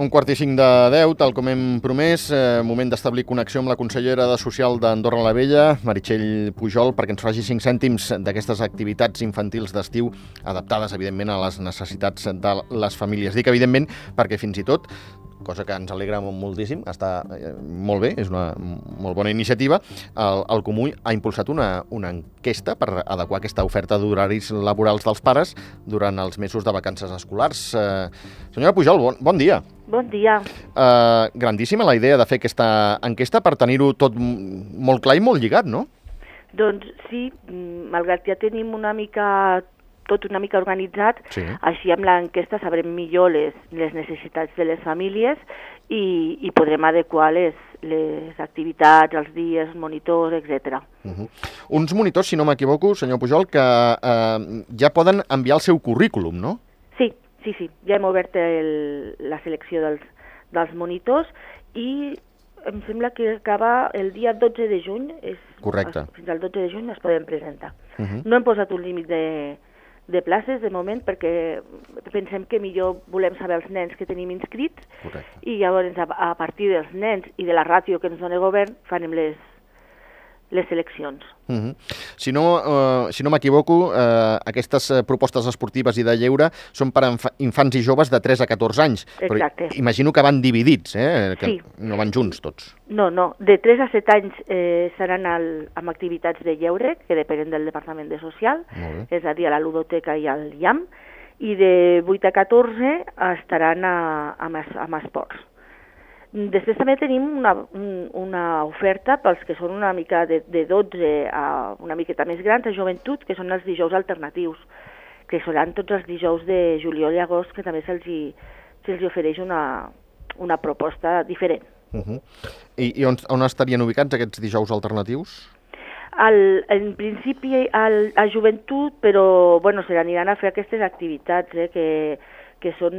1:45, tal com hem promès, moment d'establir connexió amb la consellera de Social d'Andorra la Vella, Meritxell Pujol, perquè ens faci 5 cèntims d'aquestes activitats infantils d'estiu adaptades, evidentment, a les necessitats de les famílies. Dic, evidentment, perquè fins i tot, cosa que ens alegra moltíssim, està molt bé, és una molt bona iniciativa, el Comú ha impulsat una enquesta per adequar aquesta oferta d'horaris laborals dels pares durant els mesos de vacances escolars. Senyora Pujol, bon dia. Bon dia. Grandíssima la idea de fer aquesta enquesta per tenir-ho tot molt clar i molt lligat, no? Doncs sí, malgrat ja tenim tot una mica organitzat, sí. Així amb l'enquesta sabrem millor les necessitats de les famílies i podrem adequar les activitats, els dies, els monitors, etc. Uns monitors, si no m'equivoco, senyor Pujol, que ja poden enviar el seu currículum, no? Sí. Ja hem obert la selecció dels monitors i em sembla que acaba el dia 12 de juny. Correcte. Fins al 12 de juny es poden presentar. No hem posat un límit de places de moment perquè pensem que millor volem saber els nens que tenim inscrits. Correcte. I llavors a partir dels nens i de la ràtio que ens dona el govern farem les seleccions. Si no m'equivoco, aquestes propostes esportives i de lleure són per a infants i joves de 3 a 14 anys. Exacte. Però imagino que van dividits, que sí. No van junts tots. No, de 3 a 7 anys seran amb activitats de lleure, que depenen del Departament de Social, és a dir, a la ludoteca i al IAM, i de 8 a 14 estaran amb esports. Després també tenim una oferta pels que són una mica de 12 a una miqueta més grans, a joventut, que són els dijous alternatius, que seran tots els dijous de juliol i agost, que també se'ls ofereix una proposta diferent. I on estarien ubicats aquests dijous alternatius? En principi a joventut, però se n'aniran a fer aquestes activitats, que són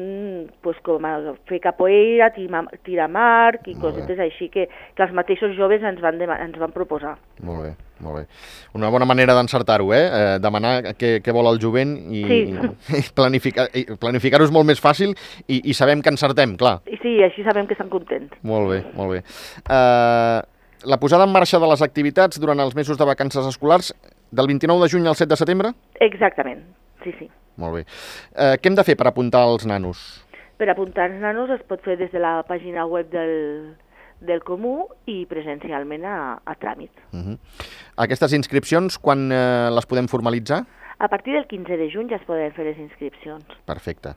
com fer capoeira, tirar marc i cosetes així que els mateixos joves ens van proposar. Molt bé. Una bona manera d'encertar-ho, demanar què vol el jovent i planificar-ho és molt més fàcil i sabem que encertem, clar. Sí, així sabem que estan contents. Molt bé. La posada en marxa de les activitats durant els mesos de vacances escolars del 29 de juny al 7 de setembre? Exactament, sí. Molt bé. Què hem de fer per apuntar els nanos? Per apuntar els nanos es pot fer des de la pàgina web del Comú i presencialment a tràmit. Aquestes inscripcions, quan les podem formalitzar? A partir del 15 de juny ja es poden fer les inscripcions. Perfecte.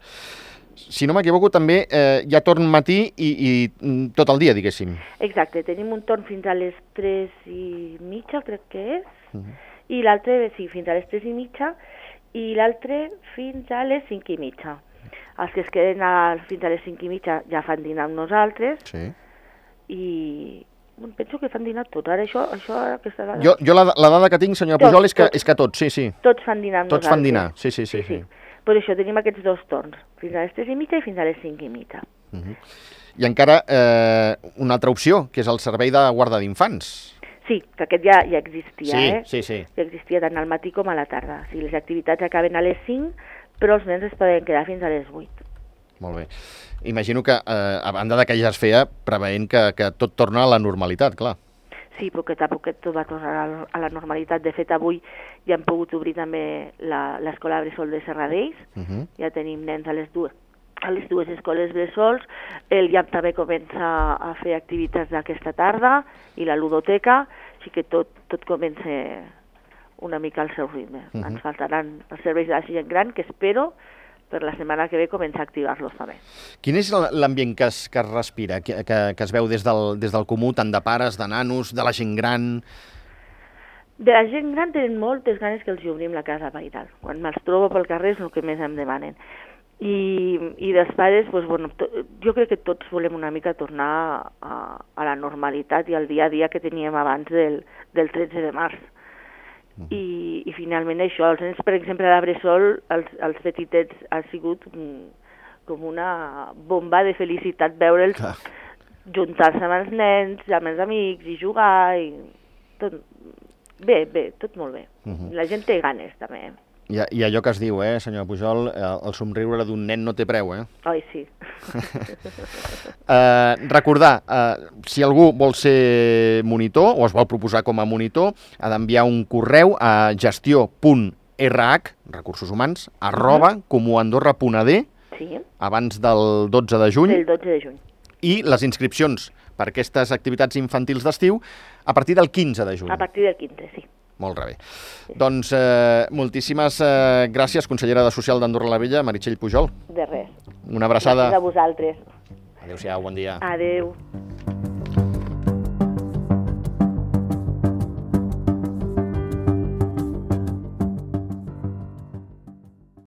Si no m'equivoco, també hi ha torn matí i tot el dia, diguéssim. Exacte, tenim un torn fins a les 3:30, crec que és, i l'altre, sí, fins a les 3:30, i l'altre fins a les 5:30. Els que es queden fins a les 5:30 ja fan dinar amb nosaltres. Sí. I penso que fan dinar tots. Ara això aquesta dada... Jo la dada que tinc, senyora Pujol, és que tots, sí. Tots fan dinar amb nosaltres. Tots fan dinar, sí. Per això tenim aquests dos torns, fins a les 3:30 i fins a les 5:30. I encara una altra opció, que és el servei de guarda d'infants. Sí, que aquest ja existia, Sí. Ja existia tant al matí com a la tarda. Sí, les activitats acaben a les 5, però els nens es poden quedar fins a les 8. Molt bé. Imagino que, a banda que ja es feia, preveient que tot torna a la normalitat, clar. Sí, poquet a poquet tot va tornar a la normalitat. De fet, avui ja hem pogut obrir també l'escola Bressol de Serradell. Ja tenim nens a les dues escoles bressols. El IAM també comença a fer activitats d'aquesta tarda i la ludoteca, així que tot comença una mica al seu ritme. Ens faltaran els serveis de la gent gran, que espero per la setmana que ve començar a activar-los també. Quin és l'ambient que es respira, que es veu des del Comú, tant de pares, de nanos, de la gent gran? De la gent gran tenen moltes ganes que els obrim la casa pairal. Quan me'ls trobo pel carrer és el que més em demanen. I dels pares, jo crec que tots volem una mica tornar a la normalitat i al dia a dia que teníem abans del 13 de març. I finalment això, els nens, per exemple, a la Bressol, els petitets ha sigut com una bomba de felicitat veure'ls juntar-se amb els nens, amb els amics i jugar i tot bé, tot molt bé. La gent té ganes també. I allò que es diu, senyora Pujol, el somriure d'un nen no té preu, Ai, sí. Recordar, si algú vol ser monitor o es vol proposar com a monitor, ha d'enviar un correu a gestió.rh, recursos humans, @comuandorra.ad, Sí. abans del 12 de juny. Del 12 de juny. I les inscripcions per aquestes activitats infantils d'estiu a partir del 15 de juny. A partir del 15, sí. Molt bé. Doncs moltíssimes gràcies, consellera de Social d'Andorra la Vella, Meritxell Pujol. De res. Una abraçada. Gràcies a vosaltres. Adéu-siau, bon dia. Adéu.